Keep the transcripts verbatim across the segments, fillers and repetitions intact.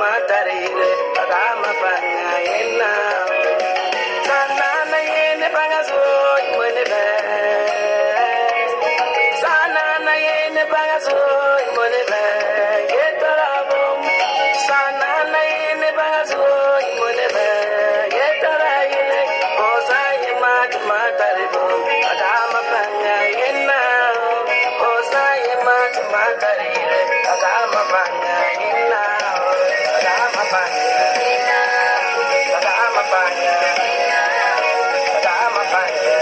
matarire agama panga yena sana na yene panga so imone be sana na yene panga so imone be yetarabo sana na yene panga so imone be yetara yene osa yema matarire agama panga yena osa yema matarire agama panga yena agama panga yena agama panga agama panga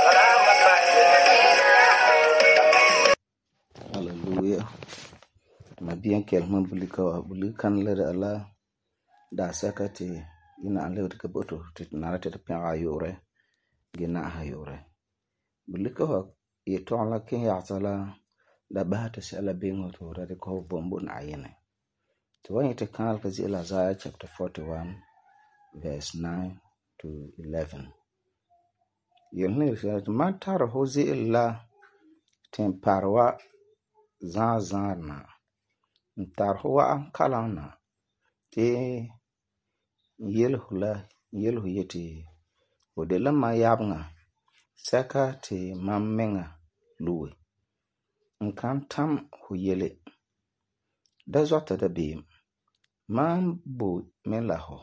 agama panga. Hallelujah. Mabiyan kelman bulika wa bulikan lada Allah da sakati ina an lewta kaboto titnara tita pyaga yore gina ha yore bulika wa yeton la kin yaatala da bahata shala bingo to rade ko bombo na ayene to when it kan ka zila Isaiah chapter forty-one verse nine to eleven yelne shat man tar ho zila temparwa zan zanna tar ho wa kalana te yelhula yelhu yeti odela ma yabnga saka te mammenga luwe nkan tam hu yele da zota da beam man bo melaho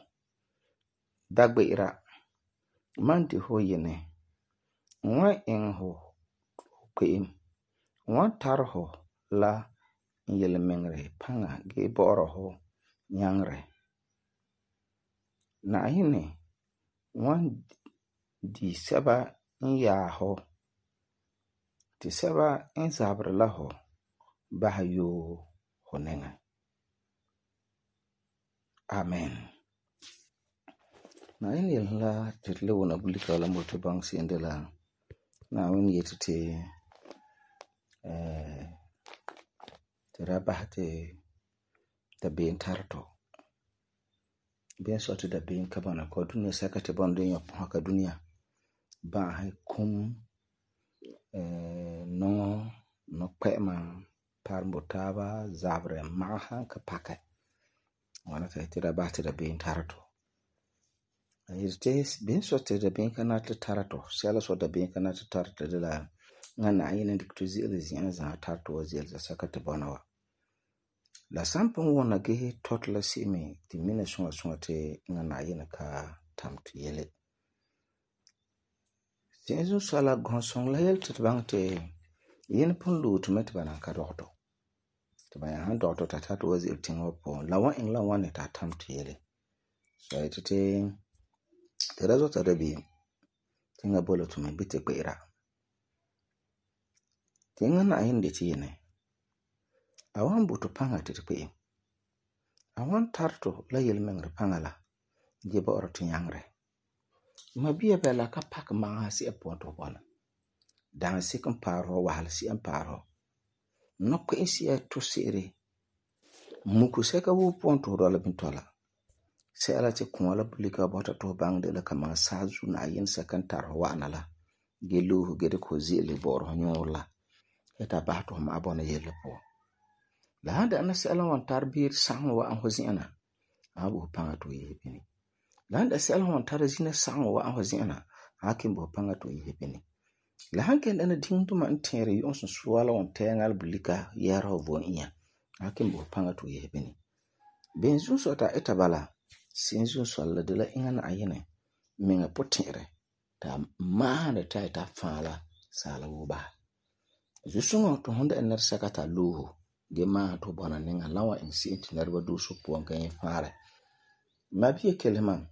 dagbeira man di ho yene nwa en ho kweem nwa tarho la yele mengre panga ge boro ho nyangre na ayine wan di saba ya ho ti saba in zabre la ho bahayo honenga. Amen. Na ini la title wona bulika la moto bang sindela na woni yetete eh tera bahate da bin tarto bien sorti da bin kabana ko dunya sakate bondo yo haka dunya ba hay kum eh no no kwema parmbo taba zabre maha ka paka wana ta tira ba tira bin tarato ayirte bin so tira bin kana ta tarato sala so da bin kana ta tarato de la ngana ayina diktuzi elizia za tarato wazel za sakate bonawa la sampon wona ge totla simi ti mina sunga sunga te ngana ayina ka tamti yele Senzu sala gonsong la yel tibangte yin pun lu tumet bana ka dokto tibaya han dokto tata to wazi tingo po la wa in la wa ne ta tam tiyele so itete terazo tarabi tinga bolo tume bite kwera tinga na yin de tiyene awan butu panga titpe awan tarto la yel mengre pangala jeba orto nyangre mabia bela ka pak ma si apoto bona dan sikin paro wahal si an paro no ko isi to sere muku seka wo ponto rola bintola se ala te kumala bulika bota to bang de la kama sazu na yin sakan taro wana la gelu gede ko zile boro nyola eta bato ma abona yele po la handa na se ala wan tarbir sang wa an hozina abu panga to yebini landa sel hon tara zina sang wa an hozina hakin bo panga to yebini la hanken dana dingto man tere yon so suwala on tengal bulika yaro von iya hakin bo panga to yebini benzu so ta etabala sinzu so la de la ingana ayene minga potere ta ma da ta ta fala sala wo ba zusungo to honda ener sakata luhu ge ma to bona ninga lawa en sinti narba du so po kan fara mabiye keleman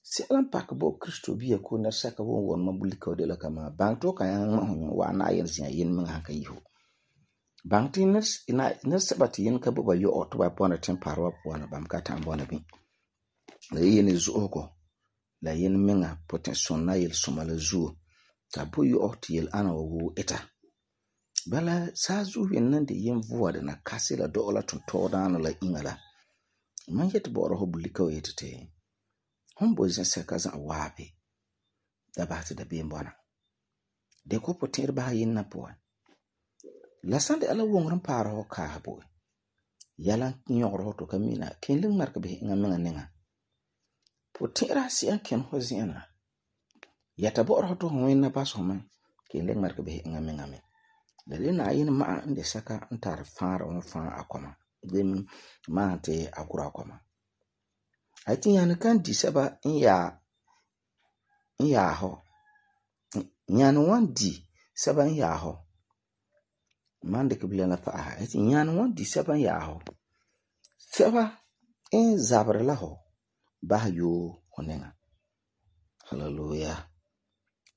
si alam pak bo Kristo biya ko na saka won won mabulika de la kama bang to kan ma wa na yin sin yin min haka yiho bang tiners ina na sabati yin ka bo ba yo oto ba pona temparwa pona bam ka ta mbona bi la yin zu ko la yin minga potenson na yel somala zu ta bo yo oto yel ana wo eta bala sa zu yin nan de yin vuwa da na kasila dola ton to dana la ingala man yet bo ro bulika yetete hombo zin seka zan wabe da ba ta da biyan bona de ko potir ba yin na po la sande ala wongran para ho ka bo Yalan nyɔgero to ka mina ken le ŋmark be inga menga ninga. Po tɛra si'an ken ho zi'ana. Yata bo'oro to ho winna pas ho man ken le ŋmark be inga menga me. La le na yin ma'a inde saka n tar faara on faa akoma. Dem ma te akura akoma. Ai tin yan kan di saba in ya in ya ho. Nyan wan di saba in ya ho. Man de kibla na fa'a. Ai tin yan wan di saba in ya ho. Saba in zabre la ho bah yo honenga. Hallelujah.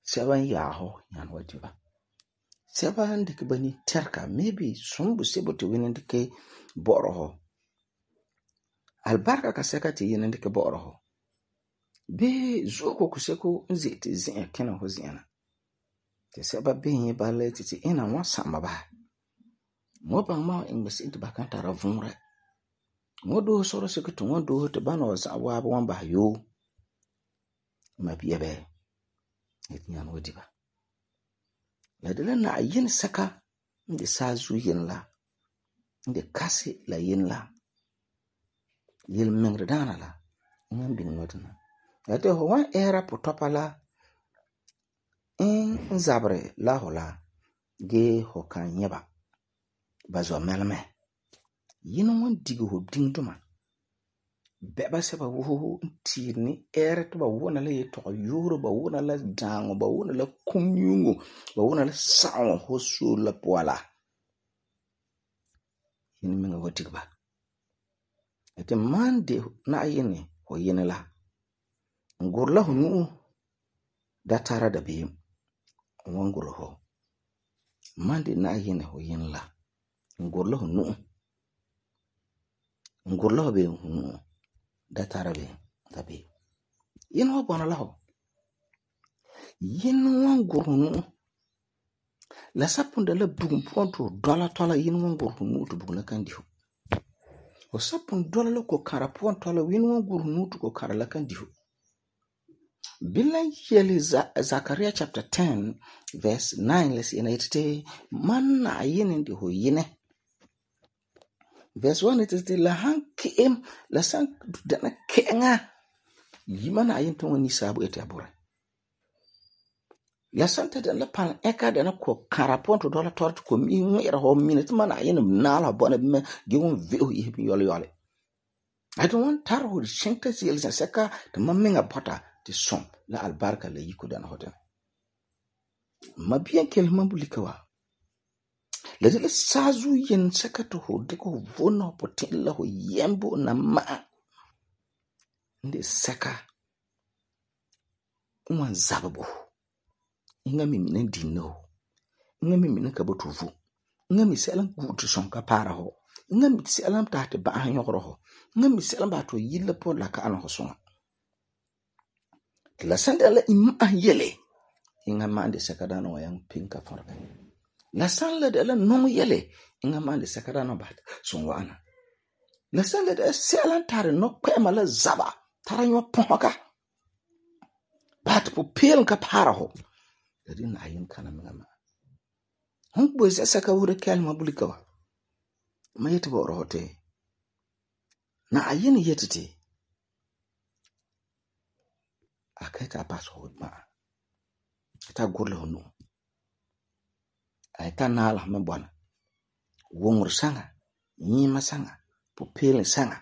Saba in ya ho yan wadi ba. Saba de kibani terka maybe sumbu sebo te winin de ke bo'oro ho. Albarka ka seka te yin de ke bo'oro ho. Be zoko kuseko nzi te zin kena ho ziana. Te saba be yin ba le te te ina wan sama ba. Mo bang ma in besi te bakan tara vunre. Mo do soro seko to wan do te bana wa sa wa wan ba yo. Ma biya be. Et nyan wadi ba. La de la na yin saka inde sazu yin la. Inde kasi la yin la. Yil mengre dana la. Ngan bin wadana. La de ho wan era po topa la. In zabre la ho la. Ge ho kan nyeba. Bazo melme. Yin wan digo ho ding duma. Beba seba wuhu tirni era to ba wona la yeto yoro ba wona la dango ba wona la kumyungo ba wona la sawo ho so la poala. Yin menga watigba. Ete mande na yene ho yene la. Ngurla ho nu da tara da bi wanguro ho. Mande na yene ho yene la. Ngurla ho nu. Ngurla ho be nu. Da tara be da bi. Yin ho bona la ho. Yin wanguro nu. La sapunda la bugum ponto dola tola yin wanguro nu to bugula kandi ho. O sapun dola la ko kara ponto la yin wanguro nu to ko kara la kandi ho. Bilan yeli Zechariah chapter ten verse nine let's say na itete man na yin ndi ho yine. Verse one it is the la hankem la san dana kenga yima na yin to woni sabu ete abore. La santa dan la pan eka dana ko karapon to dola torto ko mi ngera ho minute man yin na la bona me ge won veo yi bi yole yole. I don't want tar ho shinka sil sa seka to mamenga bota ti som la albarka la yiko dana hoten. Ma bien kel mambulika wa. La de la sazu yen seka to ho de ko vona potin la ho yembo na ma. Nde seka umwan zababo. Inga mi minen dino. Inga mi minen kabotuvu. Inga mi selam gutu sonka para ho. Inga mi selam tahte ba anyokro ho. Inga mi selam ba to yilla po la ka ano ho songa. La sanda la ima yele. Inga mande sakadano wa yang pinka forga. La sanda de la non yele. Inga mande sakadano bat sonwa ana. La sanda de selam tare no kwema la zaba. Tara nyo ponka. Bat po pel ka para ho. Jadi na ayin kana mengama. Hon bo se saka wure kalma bulika wa. Ma yete bo rohote. Na ayin yetete. Akaita paso ma. Ta gurle hono. Aita nala me bwana. Wongur sanga, nyima sanga, pupele sanga.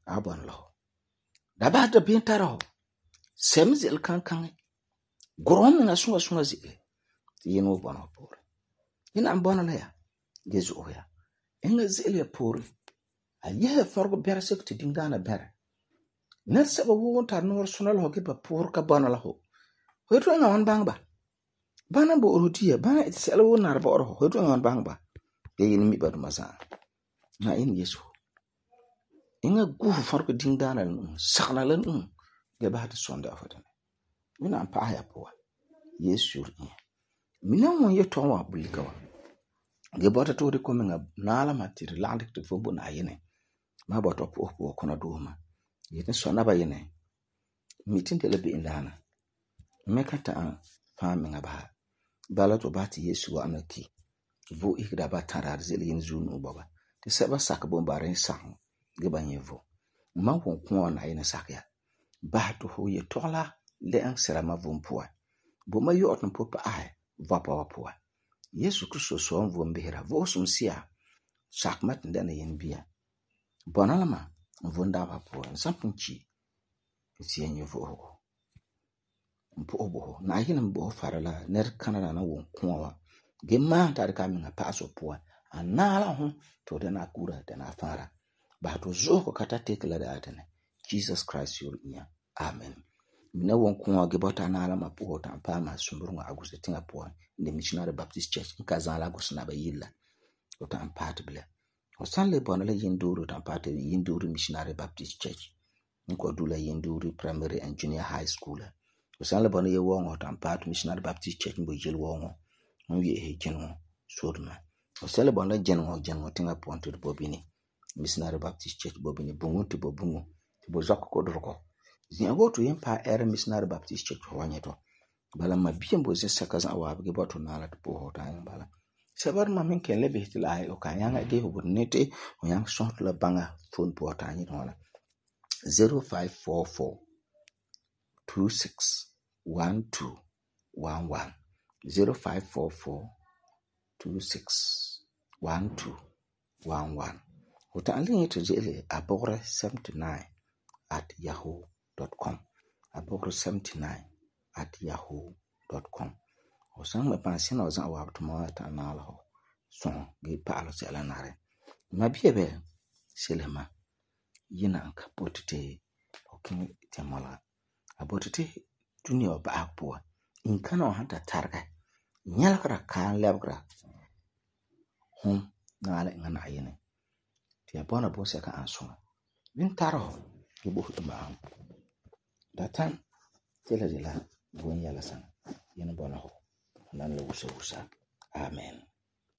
Abwan lo. Daba da bintara ho. Semzil kan kan. Gorom na sunga sunga zile. Yino bwana pore. Ina ambona la ya. Gezu oya. Inga zile pore. Ayehe fargo bera sekti dingana bera. Nerse ba wuon tar nor sunal ho ke ba pore ka bwana la ho. Hoyto nga wan bang ba. Bana bo rotiya bana itsela won nar ba oro hoyto nga wan bang ba. Ye yin mi ba duma sa. Na in Yesu. Inga gufu fargo dingana la sakna lan um. Ge ba ta sonda afatan. Mina ampa haya poa. Yesu ri. Mina won ye ton wa bulika wa. Ge bota to de ko menga nala matiri landik to fobo na yene. Ma bota po po kono duma. Yete sona ba yene. Mitin de lebe indana. Meka ta fa menga ba. Bala to bati Yesu wa anaki. Vo ikda ba tarar zeli yin zunu baba. Ti sɛba sakɛ bon ba rin sagom ge ba nyɛ vo. Ma won kɔɔ na Yenɛ sakɛ ya. Bahɛ ti fu ye tɔgla le'en sirama vom puan. Bo ma yu'utum pu pa'ahɛ vɔpa wa puan. Yesu Kristo sɔɔn vom behera vo'osum siya sakema tin dɛna Yenɛ bia. Bɔna la ma vom dabba puan. San pun chi ti ya nyɛ vo'osego. Mpo'o bo na Yenɛ bo fara la nɛrekana na won kɔɔ wa. Ge maan tari ka miŋa pa'asɔ puan. A naala hu to dana kura dana fara. Ba to zuho ka ta teke la da atene. Jesus Christ your inya. Amen. Mina won kɔɔ ge bɔta naala ma poho tan pa ma sumburunga Augusta tinga puan. The Missionary Baptist Church in Kazala Gusna ba yilla. O tan part bile. O san le bona la yinduru tan part yinduru Missionary Baptist Church. Nko dula yinduru Primary and Junior High School. O san le bona ye wongo tan part Missionary Baptist Church mbo jil wongo. On ye he jenwo sodma. O san le bona jenwo jenwo tinga puan to bobini. Missionary Baptist Church bobini bungu to bobungu. To bo zako kodroko. Zin go to yimpa era Missionary Baptist Church wanyeto. Bala ma bien bo zin sakazan wa ge boto nala to po ta yan bala. Sabar ma min ken lebe til ay o kan yanga de ho nete o yang son la banga phone po ta yin wala. zero five four four two six one two one one zero five four four two six one two one one. O ta alin to jele abore seventy-nine at yahoo dot com. Abore seventy-nine at yahoo dot com. O san me pansi na o zan wa to ma ta na la ho so ge pa lo se la nare ma bie be selema yina anka potite o kin temala abotite dunia ba akpo in kana o hanta targa nyala kra kan lebra hum na ala ngana ayene ti abona bo se ka anso bin taro ge bo ma datan tela de la bon yala san yin bona ho nan la wusa wusa. Amen.